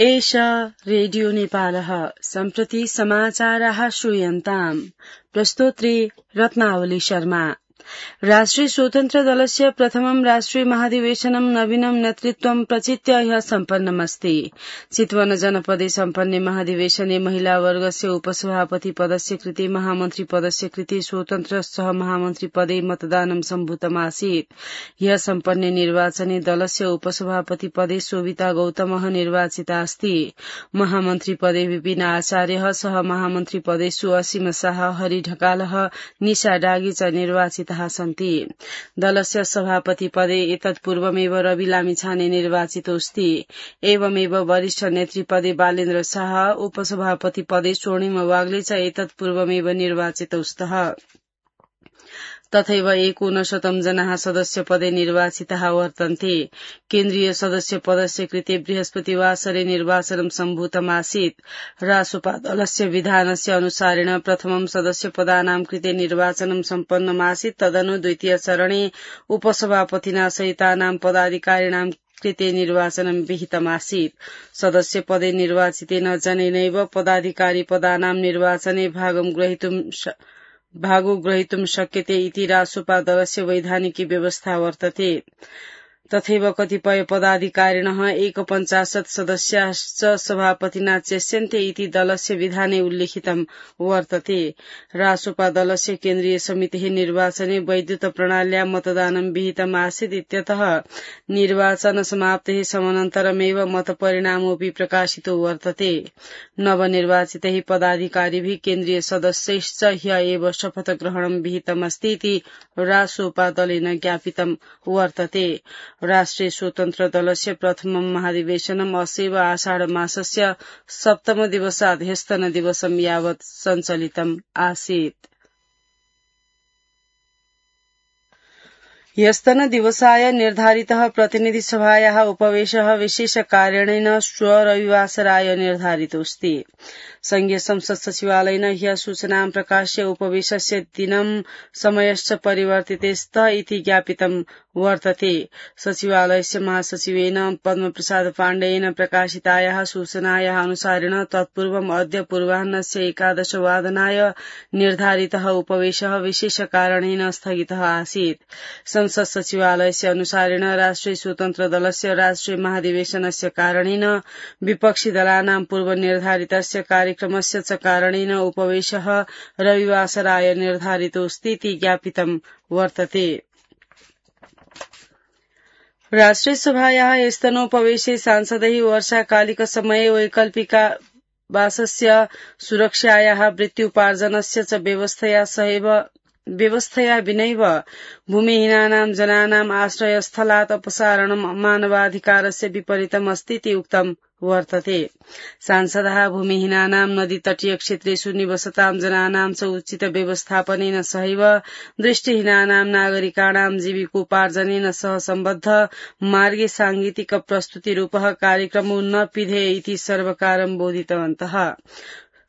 एष रेडियो नेपालः सम्प्रति समाचाराः श्रूयन्ताम्। प्रस्तोत्री रत्नावली शर्मा। राष्ट्रिय स्वतन्त्र दलस्य प्रथमं राष्ट्रिय महाधिवेशनं नवीनं नेतृत्वं प्रचित्य ह्यः सम्पन्नमस्ति। चितवन जनपदे सम्पन्ने महाधिवेशने महिला वर्गस्य उपसभापति पदस्य कृते महामन्त्री पदस्य कृते स्वतन्त्र सह महामन्त्री पदे मतदानं सम्भूतमासीत्। ह्यः सम्पन्ने निर्वाचने दलस्य उपसभापति पदे शोभिता गौतमः निर्वाचिता अस्ति। महामन्त्री पदे विपिन आचार्यः सह महामन्त्री पदेषु असीम शाह, हरि ढकालः, निशा डागी च निर्वाचिताः सन्ति। दलस्य सभापति पदे एतत्पूर्वमेव रवि लामिछाने निर्वाचितोऽस्ति। एवमेव वरिष्ठ नेतृपदे बालेन्द्र शाह, उपसभापति पदे स्वर्णिम वाग्ले च एतत्पूर्वमेव निर्वाचितौस्तः। तथैव 59 जनाः सदस्य पदे निर्वाचिताः वर्तन्ते। केन्द्रीय सदस्य पदस्य कृते बृहस्पतिवासरे निर्वाचनं सम्भूतमासीत्। रासोपा दलस्य विधानस्य अनुसारेण प्रथमं सदस्य पदानां कृते निर्वाचनं सम्पन्नमासीत्। तदनु द्वितीय चरणे उपसभापतिना सहितानां पदाधिकारिणां कृते निर्वाचनं विहितमासीत्। सदस्य पदे निर्वाचितेन जनेनैव पदाधिकारी पदानां निर्वाचने भागो ग्रहीतुं शक्यते इति रासोपा दलस्य वैधानिकी व्यवस्था वर्तते। तथैव कतिपय पदाधिकारिणः 51 सदस्याश्च सभापतिना चेष्यन्ते इति दलस्य विधाने उल्लिखितं वर्तते। रासोपा दलस्य केन्द्रीय समितेः निर्वाचने वैद्युत प्रणाल्या मतदानं विहितम् आसीत् इत्यतः निर्वाचन समाप्तेः समानन्तरमेव मतपरिणामोऽपि प्रकाशितो वर्तते। नवनिर्वाचितैः पदाधिकारिभिः केन्द्रीय सदस्यैश्च ह्यः एव शपथग्रहणं विहितमस्ति इति रासोपा दलेन ज्ञापितं वर्तते। राष्ट्रिय स्वतन्त्र दलस्य प्रथमं महाधिवेशनम् अस्यैव आषाढ मासस्य सप्तम दिवसात् ह्यस्तन दिवसं यावत् सञ्चलितम् आसीत्। ह्यस्तन दिवसाय निर्धारितः प्रतिनिधि सभायाः उपवेशः विशेषकारणेन श्व रविवासराय निर्धारितोऽस्ति। संघीय संसद सचिवालयेन ह्यः सूचनां प्रकाश्य उपवेशस्य दिनं समयश्च परिवर्तिते स्त इति ज्ञापितं वर्तते। सचिवालयस्य महासचिवेन पद्मप्रसाद पाण्डेयेन प्रकाशितायाः सूचनायाः अनुसारेण तत्पूर्वम् अद्य पूर्वाह्नस्य 11 वादनाय निर्धारितः उपवेशः विशेषकारणेन स्थगितः आसीत्। संसद सचिवालयस्य अनुसारेण राष्ट्रिय स्वतन्त्र दलस्य राष्ट्रिय महाधिवेशनस्य कारणेन विपक्षी दलानां पूर्वनिर्धारितस्य कार्यक्रमस्य च कारणेन उपवेशः रविवासराय निर्धारितोऽस्ति इति ज्ञापितं वर्तते। राष्ट्रिय सभायाः स्तनोपवेशे सांसदैः वर्षाकालिकसमये वैकल्पिकावासस्य सुरक्षायाः वृत्त्युपार्जनस्य च व्यवस्थया विनैव भूमिहीनानां जनानाम् आश्रयस्थलात् अपसारणं मानवाधिकारस्य विपरीतम् अस्ति इति उक्तं वर्तते। सांसदाः भूमिहीनानां नदीतटीय क्षेत्रेषु निवसतां जनानां च उचित व्यवस्थापनेन सहैव दृष्टिहीनानां नागरिकाणां जीविकोपार्जनेन सह सम्बद्ध मार्गे सांगीतिक प्रस्तुतिरूपः कार्यक्रमो न पिधेय इति सर्वकारं बोधितवन्तः।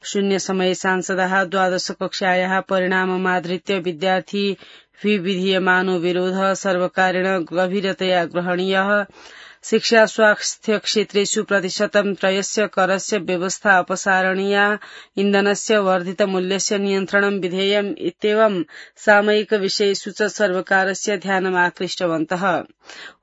शून्य समये सांसदाः 12 कक्षायाः परिणाममाधृत्य विद्यार्थी विधीयमानो विरोधः सर्वकारेण गभीरतया ग्रहणीयः, शिक्षा स्वास्थ्य क्षेत्रेषु प्रतिशतं त्रयस्य करस्य व्यवस्था अपसारणीया, इन्धनस्य वर्धित मूल्यस्य नियन्त्रणं विधेयम् इत्येवं सामयिक विषयेषु च सर्वकारस्य ध्यानम् आकृष्टवन्तः।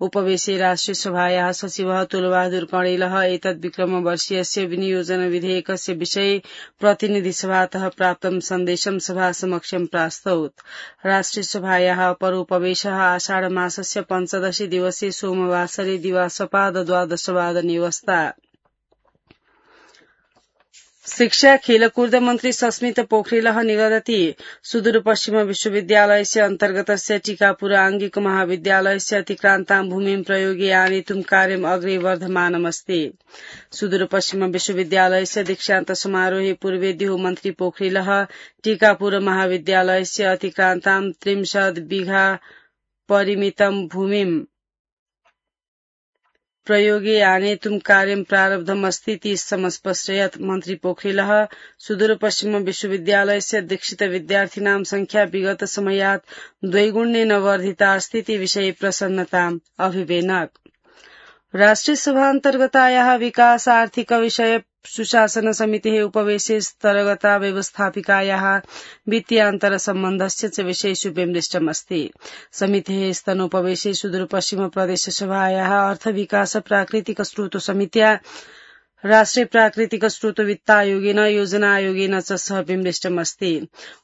उपवेशे राष्ट्रिय सभायाः सचिवः तुलबहादुर कणेलः एतद् विक्रमवर्षीयस्य विनियोजन विधेयकस्य विषये प्रतिनिधि सभातः प्राप्तं सन्देशं सभासमक्षं प्रास्तौत्। राष्ट्रिय सभायाः अपर उपवेशः आषाढ मासस्य 15 दिवसे सोमवासरे दिवासपाद 12 वादने अवस्था। शिक्षा खेलकूद मन्त्री सस्मित पोखरेलः निगदति सुदूरपश्चिम विश्वविद्यालयस्य अन्तर्गतस्य टीकापुर आंगिक महाविद्यालयस्य अतिक्रान्तां भूमिं प्रयोगे आनेतुं कार्यम् अग्रे वर्धमानमस्ति। सुदूरपश्चिम विश्वविद्यालयस्य दीक्षान्त समारोहे पूर्वेद्युः मन्त्री पोखरेलः टीकापुर महाविद्यालयस्य अतिक्रान्तां 30 बिघा परिमितं भूमिं प्रयोगे आनेतुं कार्यं प्रारब्धमस्ति इति समस्पष्टयत्। मन्त्री पोखरेलः सुदूरपश्चिम विश्वविद्यालयस्य दीक्षित विद्यार्थिनां संख्या विगत समयात् द्विगुणेन वर्धिता अस्ति इति विषये प्रसन्नताम् अभिवेनक। राष्ट्रिय सभान्तर्गतायाः विकास आर्थिक विषय सुशासन समितेः उपवेशे स्तरगता व्यवस्थापिकायाः वित्तीयान्तरसम्बन्धस्य च विषयेषु विमृष्टमस्ति। समितेः स्तनोपवेशे सुदूरपश्चिम प्रदेशसभायाः अर्थविकास प्राकृतिक स्रोत समित्या राष्ट्रिय प्राकृतिक स्रोत वित्तायोगेन योजना आयोगेन च सह विमृष्टमस्ति।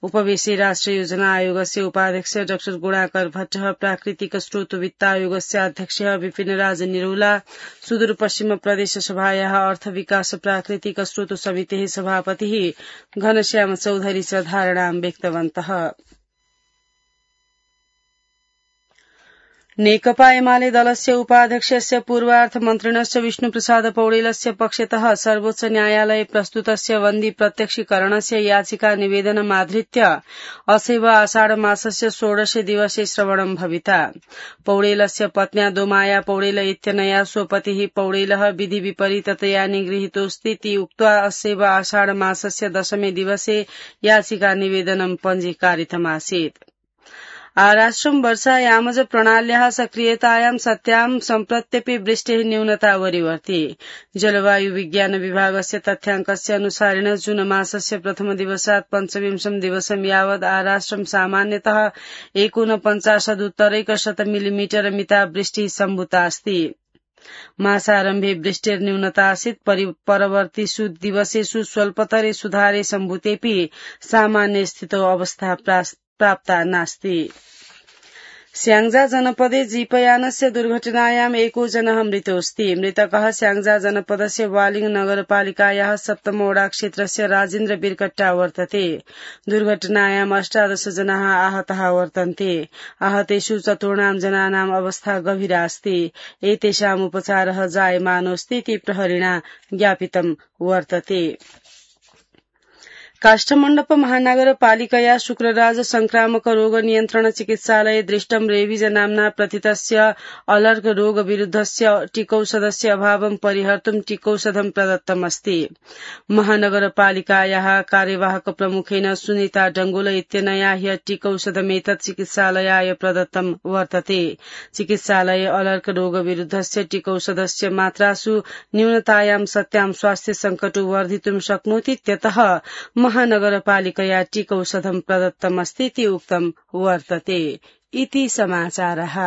उपवेशे राष्ट्रिय योजना आयोगस्य उपाध्यक्ष डाक्टर गुणाकर भट्टः, प्राकृतिक स्रोत वित्तायोगस्य अध्यक्ष विपिनराज निरौला, सुदूरपश्चिम प्रदेशसभायाः अर्थ विकास प्राकृतिक स्रोत समितेः सभापतिः घनश्याम चौधरी च धारणां व्यक्तवन्तः। नेकपा एमाले दलस्य उपाध्यक्षस्य पूर्वार्थमन्त्रिणस्य विष्णुप्रसाद पौडेलस्य पक्षतः सर्वोच्च न्यायालये प्रस्तुतस्य बन्दी प्रत्यक्षीकरणस्य याचिका निवेदनमाधृत्य असैव आषाढमासस्य 16 दिवसे श्रवणं भविता। पौडेलस्य पत्न्या दोमाया पौडेल इत्यनया स्वपतिः पौडेलः विधि विपरीततया निगृहीतोऽस्ति उक्त्वा असैव आषाढमासस्य 10 दिवसे याचिका निवेदनं पञ्जीकारितमासीत्। आराष्ट्रं वर्षायामज प्रणाल्याः सक्रियतायां सत्यां सम्प्रत्यपि वृष्टेः न्यूनता वरीवर्ति। जलवायु विज्ञान विभागस्य तथ्याङ्कस्य अनुसारेण जून मासस्य प्रथम दिवसात् 25 दिवसं यावत् आराष्ट्रं सामान्यतः 49.1 मिलिमिटर मितावृष्टिः सम्भूता अस्ति। मासारम्भे वृष्टिर्न्यूनता आसीत्। परवर्तिषु दिवसेषु स्वल्पतरे सुधारे सम्भूतेऽपि सामान्य स्थितौ अवस्था प्राप्ता नास्ति। स्याङ्जा जनपदे जीपयानस्य दुर्घटनायाम् एको जनः मृतोऽस्ति। मृतकः स्याङ्जा जनपदस्य वालिङ नगरपालिकायाः 7 वडा क्षेत्रस्य राजेन्द्र बिरकट्टा वर्तते। दुर्घटनायाम् 18 जनाः आहताः वर्तन्ते। आहतेषु 14 जनानाम् अवस्था गभीरा अस्ति। एतेषाम् उपचारः जायमानोऽस्ति इति प्रहरिणा ज्ञापितं वर्तते। काष्ठमण्डप महानगरपालिकया शुक्रराज संक्रामक रोग नियन्त्रण चिकित्सालये दृष्टं रेबीज नाम्ना प्रथितस्य अलर्क रोग विरुद्धस्य टीकौषधस्य अभावं परिहर्तुं टीकौषधं प्रदत्तमस्ति। महानगरपालिकायाः कार्यवाहक प्रमुखेन सुनीता डंगोल इत्यनया ह्य टीकौषधमेतत् चिकित्सालयाय प्रदत्तं वर्तते। चिकित्सालये अलर्क रोग विरुद्धस्य टीकौषधस्य मात्रासु न्यूनतायां सत्यां स्वास्थ्य संकटो वर्धितुं शक्नोति इत्यतः महानगरपालिकया टीकौषधं प्रदत्तमस्ति इति उक्तं वर्तते। इति समाचारः।